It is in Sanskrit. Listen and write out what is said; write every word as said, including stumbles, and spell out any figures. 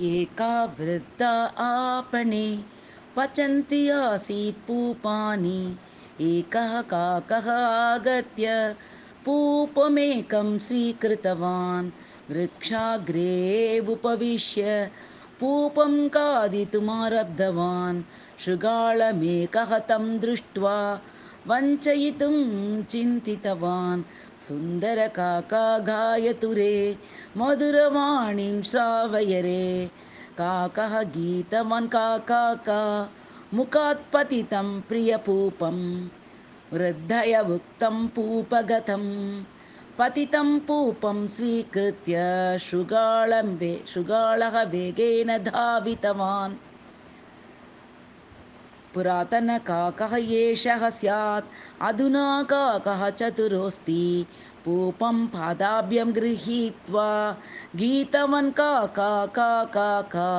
एका वृद्धा आपणे पचन्ति आसीत् पूपानि। एकः काकः आगत्य पूपमेकं स्वीकृतवान्। वृक्षाग्रे उपविश्य पूपं खादितुमारब्धवान्। शृगालमेकः तं दृष्ट्वा वञ्चयितुं चिन्तितवान्। सुन्दरकाका गायतु रे मधुरवाणीं श्रावय रे। काकः गीतवान् काका मुखात् पतितं प्रियपूपं। वृद्धया उक्तं पूपगतं पतितं पूपं स्वीकृत्य शृगालं वे शृगालः वेगेन धावितवान्। पुरातनकाकः एषः स्यात् अधुना काकः चतुरोऽस्ति। पूपं पादाभ्यां गृहीत्वा गीतवान् काका काका का।